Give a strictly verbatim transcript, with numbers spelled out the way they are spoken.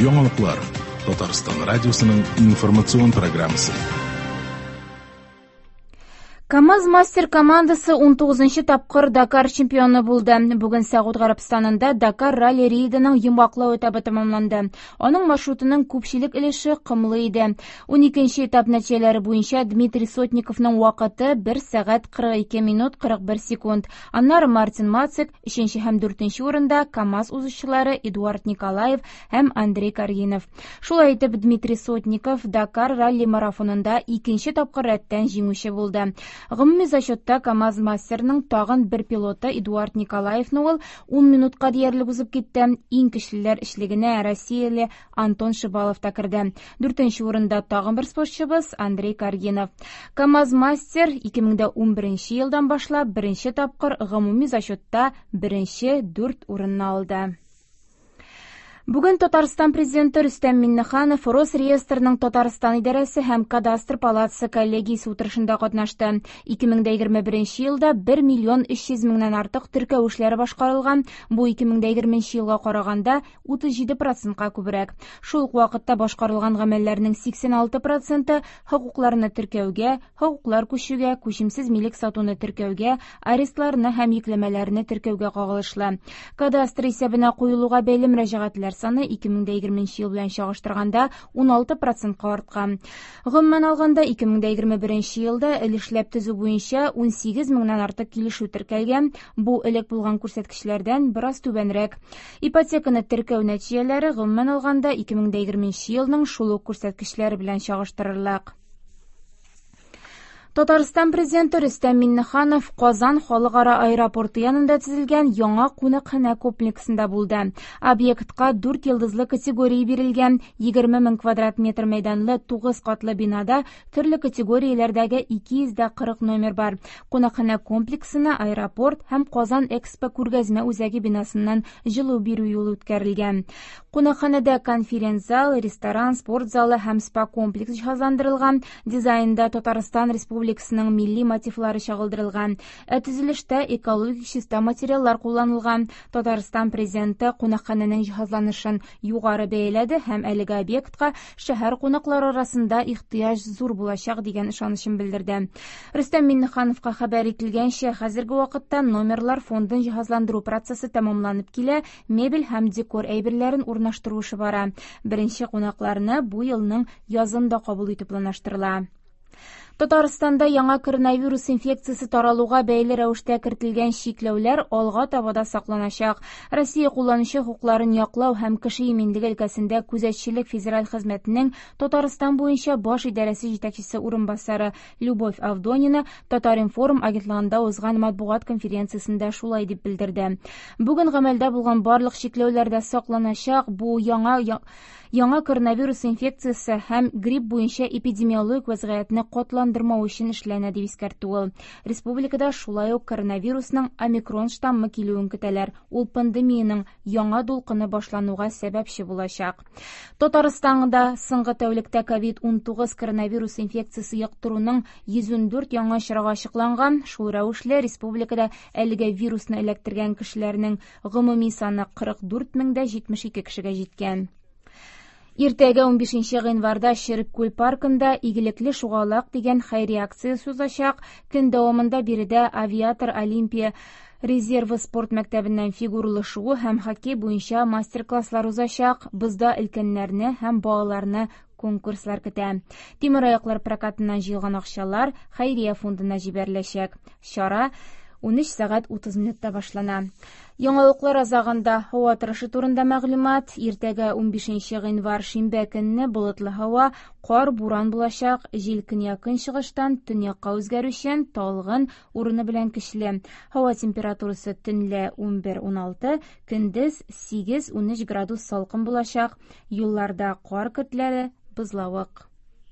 Яңалыклар. Татарстан радиосының информацион программасы. КАМАЗ-Мастер командасы унтугызынчы тапкыр Дакар чемпионы булды. Бүген Сәгуд Гарәбстанында Дакар ралли рейдының йомгаклау этабы тәмамланды. Аның маршрутының күпчелек өлеше комлы иде. Уникенче этап нәтиҗәләре буенча Дмитрий Сотниковның вакыты бер сәгать кырык ике минут кырык бер секунд. Аннары Мартин Мацек өченче һәм дүртенче урында КАМАЗ узышчылары Эдуард Николаев һәм Андрей Каргинов. Шулай итеп Дмитрий Сотников Дакар ралли марафонында икенче тапкыр рәттән җиңүче булды. Гомуми зачетта КАМАЗ-Мастерның тагын бер пилоты Эдуард Николаевны ул ун минутка диярлек узып китте. Иң көчлеләр өчлегенә Россияле Антон Шибалов та керде. Дүртенче урында тагын бер спортчыбыз Андрей Каргинов. КАМАЗ-Мастер ике мең дә унберенче елдан башлап беренче тапкыр гомуми зачетта беренче дүрт урынны алды. Бүген Татарстан президенты Рөстәм Миңнеханов Росреестрның Татарстан идарәсе һәм Кадастр палатасы коллегиясе утырышында катнашты. Ике мең дә егерме беренче елда бер миллион өч йөз меңнән артык теркәү эшләре башкарылган. Бу ике мең дә егерменче елга караганда утыз җиде процентка күбрәк. Шул ук вакытта башкарылган гамәлләрнең сиксән алты проценты хокукларны теркәүгә, хокуклар күчүгә, күчемсез милек сатуны теркәүгә, арестларны һәм йөкләмәләрне теркәүгә кагылышлы. Кадастр исәбенә куелуга бәйле мөрәҗәгатьләр саны ике мең дә егерменче ел белән чагыштырганда ун алты процентка арткан. Гомумән алганда ике мең дә егерме беренче елда өлешләп төзү буенча ун сигез меңнән артык килешү теркәлгән. Бу элек булган күрсәткечләрдән бераз түбәнрәк. Ипотеканы теркәү нәтиҗәләре гомумән алганда ике мең дә егерменче елның шул ук күрсәткечләре белән чагыштырырлык. Татарстан президенты Рөстәм Миңнеханов Казан халыкара аэропорты янында төзелгән яңа кунакханә комплексында булды. Объектка дүрт йолдызлы категория бирелгән, егерме мең квадрат метр мәйданлы тугыз катлы бинада төрле категорияләрдәге ике йөз дә кырык номер бар. Кунакханә комплексына аэропорт һәм Казан Экспо күргәзмә үзәге бинасыннан җылу бирү юлы үткәрелгән. Кунакханәдә конференц-зал, ресторан, спорт залы һәм спа-комплекс җиһазландырылган. Дизайнда Татарстан Республикасының милли мотивлары чагылдырылган. Ә төзелештә экологик чиста материаллар кулланылган. Татарстан президенты кунакханәнең җиһазланышын югары бәяләде һәм әлеге объектка шәһәр кунаклары арасында ихтыяҗ зур булачак дигән ышанычын белдерде. Рөстәм Миңнехановка хәбәр ителгәнчә, хәзерге вакытта номерлар фондын җиһазландыру процессы тәмамланып килә, мебель һәм декор әйберләрен урнаштыру эше бара. Беренче кунакларны бу елның язында кабул итү планлаштырыла. Татарстанда яңа коронавирус инфекциясе таралуга бәйле рәвештә кертелгән чикләүләр алга таба да сакланачак. Россия кулланучы хокукларын яклау һәм кеше иминлеге өлкәсендә күзәтчелек федераль хезмәтенең Татарстан буенча баш идарәсе җитәкчесе урынбасары Любовь Авдонина Татар-информ агентлыгында узган матбугат конференциясендә шулай дип белдерде. Бүген гамәлдә булган барлык чикләүләр дә сакланачак. Бу яңа, яңа коронавирус инфекциясе һәм грипп буенча эпидемиологик вазгыятьне катландырмау өчен эшләнә дип искәртте ул. Республикада шулай ук коронавирусның омикрон штаммы килүен көтәләр. Ул пандемиянең яңа дулкыны башлануга сәбәпче булачак. Татарстанда соңгы тәүлектә ковид ун тугыз коронавирус инфекциясе йоктыруның йөз ун дүрт яңа очрагы ачыкланган. Шул рәвешле республикада әлеге вирусны эләктергән кешеләрнең гомуми саны кырык дүрт мең дә җитмеш ике кешегә җиткән. Иртәгә унбишенче гыйнварда Череккүл паркында Игелекле шугалак дигән хәйрия акциясе узачак. Көн дәвамында биредә Авиатор Олимпия резервы спорт мәктәбеннән фигуралы шуу һәм хоккей буенча мастер-класслар узачак. Бозда өлкәннәрне һәм балаларны конкурслар көтә. Тимераяклар прокатыннан җыелган акчалар хәйрия фондына җибәреләчәк. Чара унөч сәгать утыз минутта башлана. Яңалыклар азагында һава торышы турында мәгълүмат. Иртәгә унбишенче гыйнвар шимбә көнне болытлы һава, кар, буран булачак. Җил көньяк-көнчыгыштан төньякка үзгәрүчән, талгын, урыны белән көчле. Һава температурасы төнлә унбер уналты, көндез сигез унөч градус салкын булачак. Юлларда кар көртләре, бозлавык.